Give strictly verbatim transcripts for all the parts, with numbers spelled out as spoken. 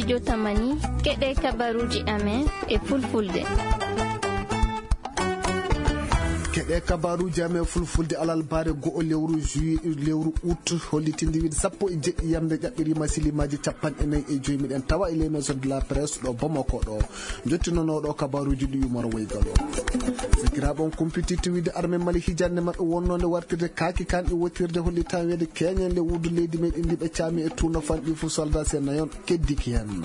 Jotamani, keɗe kabaruuji amen e fulfulde. Keɗe kabaruuji amen fulfulde alarbaare go'o lewru juillet, lewru août, hollitinde wiide sappo e jeɗɗi yamde ƴaɓɓiriima silimaaji capanɗe nayi e joy. Miɗen tawa e les maisons de la presse ɗo Bamako ɗo. Njottinanooɗo kabaruuji ɗi Umar Waygal o. Sakiraaɓe, on kumpititte wiide armée Mali hijannde maɓɓe wonnonde wartirde kaaki kanɗi wotirde hollitaa weede keñen le wuddu leydi meɗen ndi ɓe caami e tuuno fanɗi fuu soldat sen nayon keddiki heen.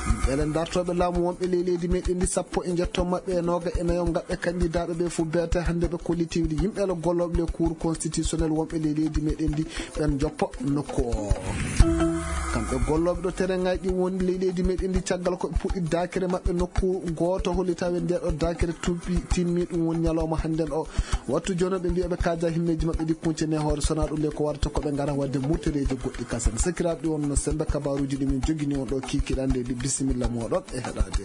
Yimɓe le dartooɓe laamu wonɓe ley leydi meɗen ndi sappo e njetto maɓɓe e nooga e nayo ngaɓɓe kandidaaɓe ɓe fuu beete hannde ɓe kolliti wiide yimɓe le gollooɓe le cour constitutionnel wonɓe ley leydi meɗen ndi ɓen joppo nokku o. Kamɓe gollooɓe ɗo terrain ŋaaji ɗi woni ley leydi meɗen ndi caggal ko ɓe puɗɗi daakere maɓɓe nokku gooto hollitaa weede nde ɗo daakere tuubi timmi ɗum woni ñalawma hannden o. Wattu jooni ɓe mbiya ɓe kaaja himmeeji maɓɓe ɗi kuncene hoore sona ɗum le ko warata ko ɓe ngara waɗde murtereeji goɗɗi kasen. Sakiraaɓe ɗi wonno sembe kabaruuji ɗi min jogini on ɗo kiikiɗande ɗi bisimilla mooɗon e heɗaade.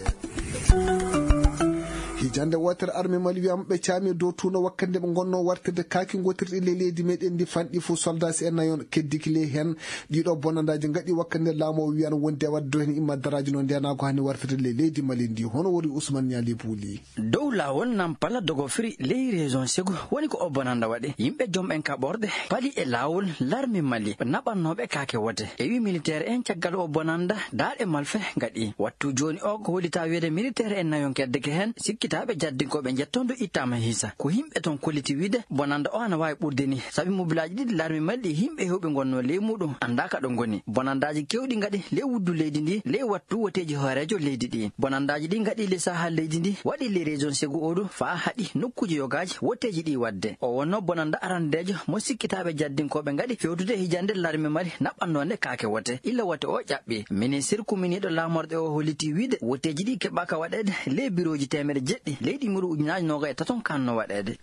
Hijannde wootere armée Mali wiyama ɓe caami dow tuuno wakkande ɓe ngonno wartirde kaaki ngotirɗi le leydi meɗen ndi fanɗi fuu soldat si en nayon keddiki ley heen. Ɗiɗo bonandaaji ngaɗi wakkande laamu o wiyano wondi e waɗde dow heen imma daraaji no ndenaago hani wartirde le leydi Mali ndi. Hono wori Ousmane Niali Bouli. Dow laawol Nampala Dogofri ley région Ségou woni ko o bonanda waɗi. Yimɓe jom en kaɓorɗe pali e laawol larme Mali naɓannooɓe kaake wote. E wi militaire en caggal o bonanda daaɗe malfe ngaɗi. Wattu jooni o ko hollitaa wiyeede militaire en nayon keddeke heen sikkitaaɓe jaddinkooɓe njettondo ittaama hiisa. Ko yimɓe toon kolliti wiide bonanda o ana waawi ɓurde ni. Sabi mobilaaji ɗiɗi larme Mali ɗi yimɓe heewɓe ngonnoo ley muɗum anndaa ka ɗo ngoni. Bonandaaji keewɗi ngaɗi ley wuddu leydi ndi ley wattu woteeji hooreejo leydi ɗi. Bonandaaji ɗi ngaɗi le saha leydi ndi waɗi le région Ségou Odu faa haɗi nokkuuji yogaaji woteeji ɗi waɗde. O wonno bonanda arandeejo mo sikkitaaɓe jaddinkooɓe ngaɗi fewtude hijande larme Mali naɓɓannoonde kaake wote illa wote o ƴaɓɓi. Ministir kuminiiɗo laamorɗe o holliti wiide woteeji ɗi keɓaaka waɗeede ley birooji teemere jeɗɗi leydi muru ujunaaji nooga e taton kanno waɗeede.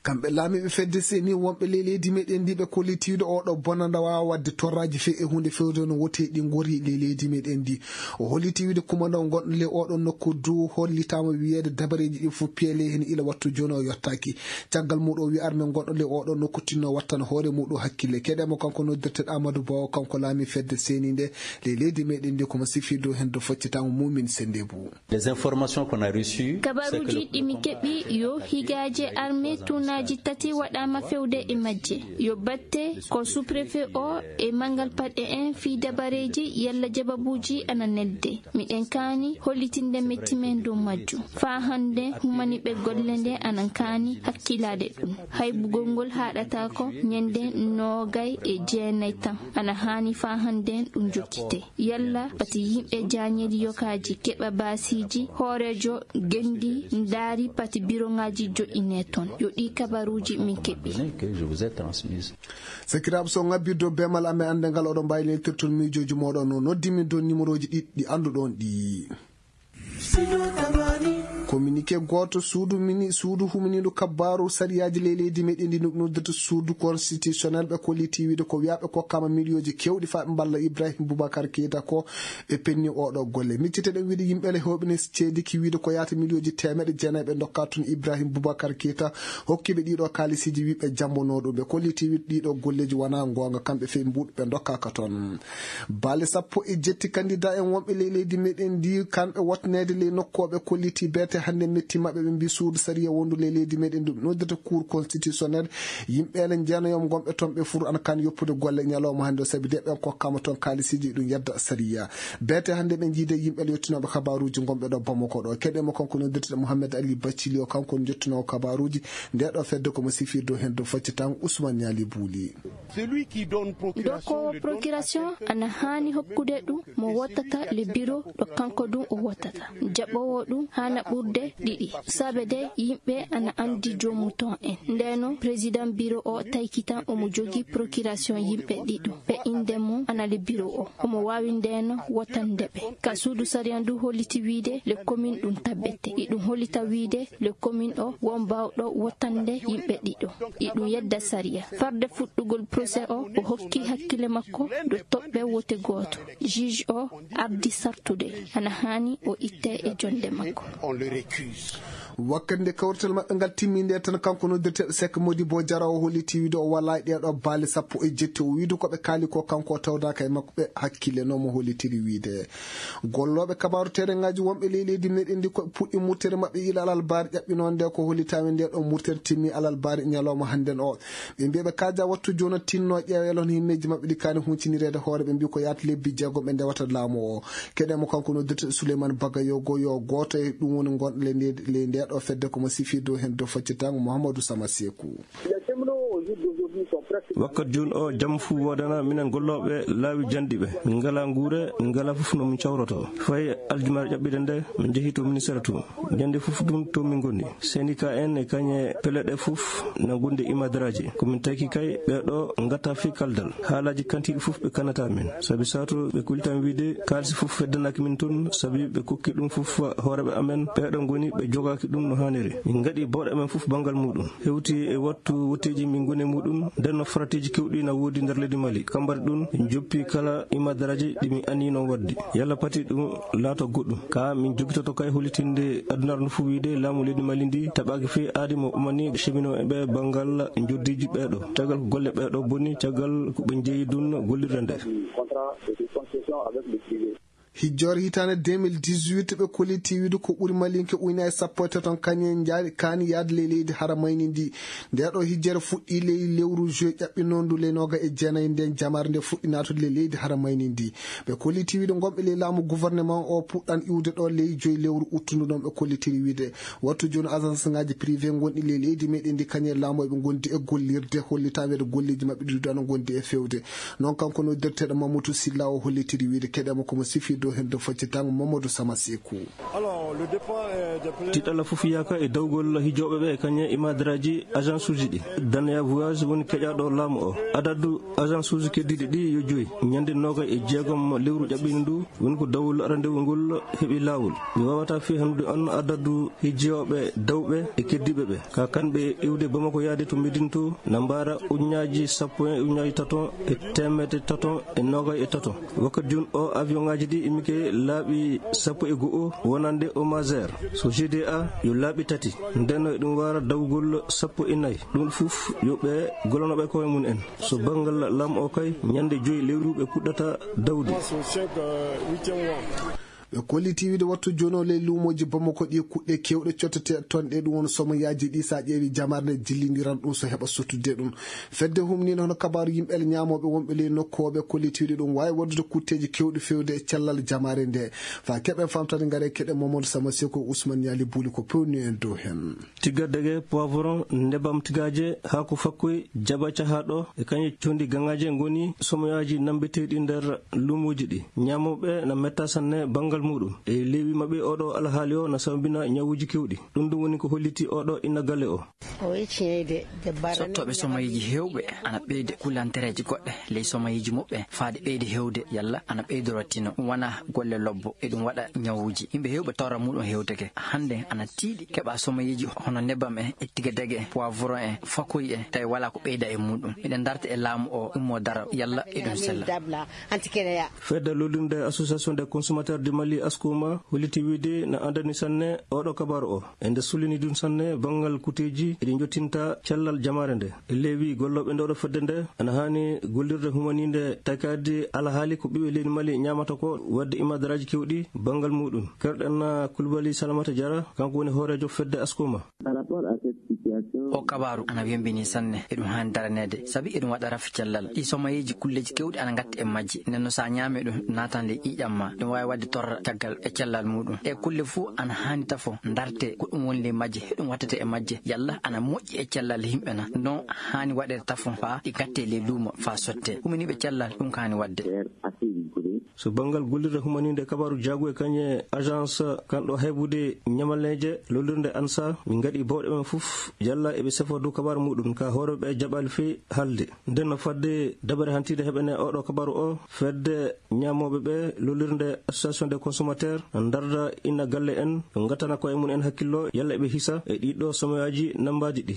Kamɓe laamiiɓe fedde seni wonɓe ley leydi meɗen ndi ɓe kolliti wiide oɗo bonanda waawa waɗde torraaji few e huunde fewde no wote ɗi ngori ley leydi meɗen ndi. O holliti wiide kumandaw gonɗo ley oɗo nokku du hollitaama wiyeede dabareeji ɗi fof piyele heen ila wattu jooni o yottaaki. Caggal muɗum o wi arme gonɗo ley oɗo nokku tinno wattan hoore muɗum hakkille. Keɗe mo kanko noddirteɗo Amadou Ba o, kanko laami fedde seni nde ley leydi meɗen ndi ko mo sifi dow heen do foccitaama Mumin Sendebu. Les informations qu'on a reçues, c'est que kabaruuji le ɗi mi keɓi yo higaaje armée tuunaaji tati waɗaama fewde e majje. Yo batte ko sous-préfet o e manngal paɗe en fii dabareeji yalla jababuuji ana nelde. Miɗen kaani hollitinde metti men dow majjum. Faa hannde humaniiɓe golle nde ana kaani hakkilaade ɗum. Haybugol ngol haaɗataako ñande noogay e jeenay tan. Ana haani faa hannde ɗum jokkite. Yalla pati yimɓe jaañeeli yokaaji keɓa baasiiji, hooreejo genndi ndaari pati biroŋaaji joƴƴinee toon. Yo ɗii kabaruuji min keɓi. Sakiraaɓe, so ŋabbirde o beemal amen annde ngal, oɗon mbaawi leltirton miijooji mooɗon no noddi min dow nimerooji ɗiɗi ɗi annduɗon ɗi. Communiqué gooto suudu mini, suudu huminiiɗo kabbaaru sariyaaji ley leydi meɗen ndi no noddirta suudu constitutionnel ɓe kolliti wiide ko wiyaa ɓe kokkaama miliyooji keewɗi faa ɓe mballa Ibrahim Boubacar Keita ko ɓe penni oɗo golle. Miccite ɗen wiide yimɓe le heewɓe ne ceediki wiide ko yaata miliyooji teemeɗe jeenayi ɓe ndokka toon Ibrahim Boubacar Keita hokkiiɓe ɗiɗo kaalisiiji wiiɓe jammbonoo ɗum. Ɓe kolliti wiide ɗiɗo golleeji wonaa ngoonga, kamɓe fey mbuuɗ ɓe ndokkaaka toon. Baale sappo e jetti kandidaa en wonɓe ley leydi meɗen ndi, kamɓe wotneede ley nokku o ɓe kolliti beete hannde metti maɓɓe, ɓe mbi suudu sariya wondu ley leydi meɗen ndu ɓe noddata cour constitutionnel. Yimɓe ene jeenayo gonɓe toon ɓe fur ana kan yoppude golle ñalawma hannde o, sabi de ɓen kokkaama toon kaalisiiji ɗum yedda sariya. Beete hannde ɓe jiide yimɓe le yottinooɓe kabaruuji gonɓe ɗo Bamako ɗo. Keɗe mo kanko noddirteɗo Mohamed Ali Baccili o, kanko jottinoowo kabaruuji nde ɗo fedde ko mo sifir dow heen dow facce tan Ousmane Niali Bouli. Dokowo procuration ana haani hokkude ɗum mo wottata le bureau ɗo kanko ɗum o wottata. Jaɓoowo ɗum haana ɓurde ɗiɗi. Saabe de yimɓe ana anndi joomum toon en. Ndeno président bureau o tayki tan omo jogii procuration yimɓe ɗiɗo. Ɓe innde mum ana le bureau o. Omo waawi ndeno wottande ɓe. Ka suudu sariya ndu holliti wiide le commune ɗum tabbete. Iɗum hollita wiide le commune o won baawɗo wottande yimɓe ɗiɗo. Iɗum yedda sariya. Farde fuɗɗugol procès o, o hokki hakkille makko dow toɓɓe wote gooto. Juge o ardi sartude. Ana haani o itte e jonde makko. Wakkati nde kawrital maɓɓe ngal timmi nde tan, kanko noddirteeɗo Sek Modibo Jara o holliti wiide o walaa e ɗeeɗo baali sappo e jetti. O wiide ko ɓe kaali ko kanko o tawdaaka e makko ɓe hakkileno mo hollitiri wiide. Gollooɓe kabaaru terengaaji wonɓe ley leydi meɗen ndi ko puɗɗi murtere maɓɓe ila alalbaari ƴaɓɓinoonde ko hollitaami nde ɗo murtere timmi alalbaari ñalawma hannden o. Ɓe mbiya ɓe kaaja wattu jooni tinno ƴeewelon himmeeji maɓɓe ɗi kaani huncinireede hoore ɓe mbi ko yaata lebbi jeegom ɓe ndewata laamu o. Keɗe mo kanko noddirte Souleymane Bagayogo yo gooto e ɗum woni gonɗo ley nde-, ley ndeeɗo fedde ko mo sifii dow heen dow faccitango Mouhamadou Sama Sekou. Wakkat jooni o jam fuu woodana minen gollooɓe laawi janɗi ɓe. Min ngalaa nguure, min ngalaa fof no min cawroto. Fayi aljumaare ƴaɓɓiɗe nde min njehi to ministére to. Ñande fof ɗum to min ngoni. Syndicat en e kañe peleɗe fof na ngondi e imadaraaji. Ko min taki kay ɓeeɗo ngata fii kaldal. Haalaaji kantiiɗi fof ɓe kanata min. Sabi sato ɓe kultan wiide kaalisi fof feddanaaki min toon, sabi ɓe kokki ɗum fof hooreeɓe amen. Ɓeeɗo ngoni ɓe jogaaki ɗum no haaniri. Min ngaɗi bawɗe amen fof banngal muuɗum. Hewti e wattu wotteeji min ngoni e muuɗum. Nden no faratiiji kewɗi na woodi nder leydi Mali. Kambari ɗum, min joppi kala imadaraaji ɗi min anniino waɗde. Yalla pati ɗum laato goɗɗum. Ka min jogitoto kay hollitinde adunaaru ndu fof wiide laamu leydi Mali ndi taɓaaki fii aadi mo umani cheminot e ɓe banngal njoddiiji ɓeeɗo. Caggal ko golle ɓeeɗo boni, caggal ko ɓe njeyi ɗum gollirde nde. Hijjoore hitaande deux mille dix-huit, ɓe kolliti wiide ko ɓuri malinke ujunaaji sappo e tati on kañum en njaari kaani yahde ley leydi haramayni ndi. Nde ɗo hijjere fuɗɗi ley lewru juillet ƴaɓɓinoondu ley nooga e jeenayi nden jamaare nde fuɗɗi naatude ley leydi haramayni ndi. Ɓe kolliti wiide gonɓe ley laamu gouvernement o puɗɗan iwde ɗo ley joyi lewru uttundu ɗon ɓe kollitiri wiide. Wattu jooni agence ngaji privé gonɗi ley leydi meɗen ndi kañum e laamu eɓe gondi e gollirde hollitaweede golleji maɓɓe ɗi ɗon gondi e fewde. Noon kanko noddirteeɗo Mamadou Silla o hollitiri wiide keɗe makko mo sifi dow heen dow faccitango Mamadou Sama Sekou. Tiɗalla fof yaka e dawgol hijooɓe ɓe kañe e madaraaji agence uji ɗi. Daneya voyage woni keƴaaɗo laamu o. Adadu agence uji keddiiɗi ɗi yo joyi. Ñande noogay e jeegom lewru ƴaɓɓiindi ndu woni ko dawol arandewu ngol heɓi laawol. Mi waawata fii hannude on adadu hijooɓe dawɓe e keddiiɓe ɓe. Ka kamɓe iwde Bamako yaade to Medine to na mbaara ujunnaaji sappo e ujunnaaji tato e teemedde tato e noogay e tato. Wakkati jooni o avion ngaji ɗi immike laaɓi sappo e go'o wonande o Mazer. So G D A yo laaɓi tati. Nden no eɗum waara dawgol sappo e nayi. Ɗum fof yo ɓe gollono ɓe koye mum en. So banngal laamu o kay, ñande joyi lewru ɓe puɗɗata dawde. Ɓe kolliti wiide wattu jooni o ley luumooji Bamako ɗi kuɗɗe keewɗe cottete toon ɗe ɗum woni somoyaaji ɗi so a ƴeewi jamaare nde jillindiran ɗum so heɓa sottude ɗum. Fedde humniinde hono kabaaru yimɓe ñaamooɓe wonɓe ley nokku o ɓe kolliti wiide ɗum waawi waɗude kutteeji keewɗi fewde e cellal jamaare nde. Faa keɓen famtani ngare keɗe Mamadou Sama Sekou Ousmane Ñaali Buuli ko pewni en dow heen. Tigadege, poivron, nebam tigaaje, haako fakkoy, jaba cahaaɗo, e kañe condi gaŋaaje ngoni somoyaaji nambeteeɗi nder luumooji ɗi. Ñaamooɓe na metta sanne banngal muuɗum. E leewi maɓɓe oɗo alhaali o na sababina ñawuuji keewɗi. Ɗum ɗum woni ko holliti oɗo inna galle o. Sottooɓe somoyeeji heewɓe ana ɓeyde kulantereeji goɗɗe ley somoyeeji muɓɓe faade ɓeyde heewde yalla ana ɓeydoro tino. Ɗum wona golle lobbo e ɗum waɗa ñawuuji. Yimɓe heewɓe tawra muuɗum hewteke. Hannde ana tiiɗi keɓa somoyeeji hono nebam en, e tigadege, poivron en, fakoy en, tawi walaa ko ɓeyda e muuɗum. Miɗen darta e laamu o ummo daro yalla eɗum sella. Fedde lollirde Association des consommateurs du Mali, Askoma, holliti wiide na andani sanne oɗo kabaaru o. E nde sullini ɗum sanne banngal kuteeji eɗi jottinta cellal jamaare nde. E leewi gollooɓe nde oɗo fedde nde ana haani gollirde humaniinde takaade alhaali ko ɓiɓɓe leydi Mali ñaamata ko wadde imadaraaji keewɗi banngal muuɗum. Kerɗen Kulbali Salamata Jara, kanko woni hooreejo fedde Askoma. O kabaaru ana wembini sanne, eɗum haani daraneede, sabi eɗum waɗa rafi cellal. Ɗi somoyeeji kulleeji keewɗi ana ngatti e majji, nden no so a ñaami ɗum, naatan ley ƴiiƴam ma, ɗum waawi waɗde torra caggal e cellal muuɗum. Ɗe kulle fuu ana haani tafo, ndarte, ko ɗum woni ley majje, heɗum wattete e majje, yalla ana moƴƴi e cellal yimɓe na, no haani waɗede tafo faa ɗi ngatte ley luumo faa sotte. Humaniiɓe cellal, ɗum ko haani waɗde. So banngal gollirde humaniinde kabaaru jaagu e kañe agence kanɗo heɓude ñamaleeje lollirde ansa, min ngaɗi bawɗe men fof yalla eɓe sefo dow kabaaru muuɗum ka hooreeɓe jaɓaali fii haalde. Nden no fadde dabare hantiide heɓene oɗo kabaaru o, fedde ñaamooɓe ɓe lollirde association des consommateurs ndarda inna galle en, ngattana koye mum en hakkillo yalla eɓe hisa e ɗiɗo somoyaaji nambaaji ɗi.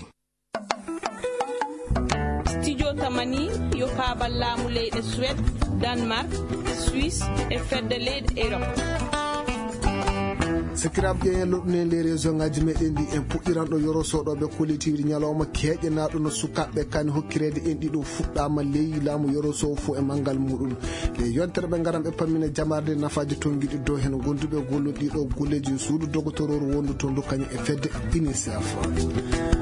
Studio Tamani yo kaabal laamu leyɗe Suède, Danemark, Suisse e fedde leyɗe Europe. Sakiraaɓe ƴeeñen loɗɗuno en ley réseau ngaji meɗen ɗi, en puɗɗiran ɗo yoro soɗoɓe kollitiiɗi ñalawma keeƴenaaɗo no sukaaɓe kani hokkireede en ɗiɗo fuɗɗaama ley laamu yoro sowo fof e manngal muɗum. Ley yontere ɓe ngaran ɓe pammina jamaarde nafaaji tongiɗi dow heen gonduɓe gollude ɗiɗo golleeji suudu dogotororu wondu to ndu kañum e fedde UNICEF.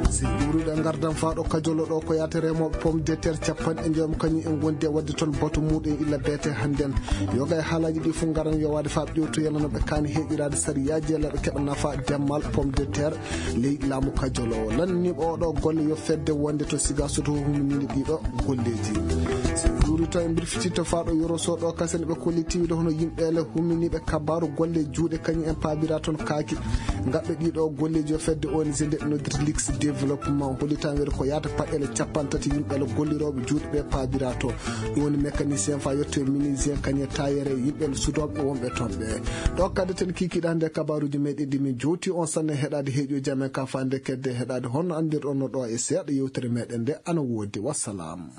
Si ɓuruɗe ngardan faa ɗo kajolo ɗo ko yaata remooɓe pomme de terre capanɗe njoom kañum en gondi e waɗde toon batu muɗum illa beete hannden. Yoga e haalaaji ɗi fof ngaran yowaade faa ƴewtoyana no ɓe kaani heeƴiraade sariyaaji yalla ɓe keɓa nafa demmal pomme de terre ley laamu kajolo o. Lanniiɓe oɗo golle yo fedde wonde to Sigaso to huminiinde ɗiɗo golleeji. Si ɗuuri to e mbirfiti to faa ɗo yoro soɗo kasen ɓe kollitiiɗo hono yimɓe ele huminiiɓe kabaaru golle juuɗe kañum en paabira toon kaaki. Ngaɓɓe ɗiɗo golleeji yo fedde O N G nde noddirta Lix Développement hollitan weede ko yaata paɗɗele capanɗe tati yimɓe ele gollirooɓe juuɗe ɓe paabira to. Ɗum woni mécanicien faa yetto e menuisier kañum e tailleur e yimɓe ele sudooɓe wonɓe toon ɓe. Ɗo kaddaten kiikiiɗe hannde kabaaruuji meɗen ɗi min jowti on sanne heɗaade heeƴooji amen ka faande kedde heɗaade honno anndirɗon no ɗo e seeɗa yewtere meɗen nde ana woodi. Wassalam.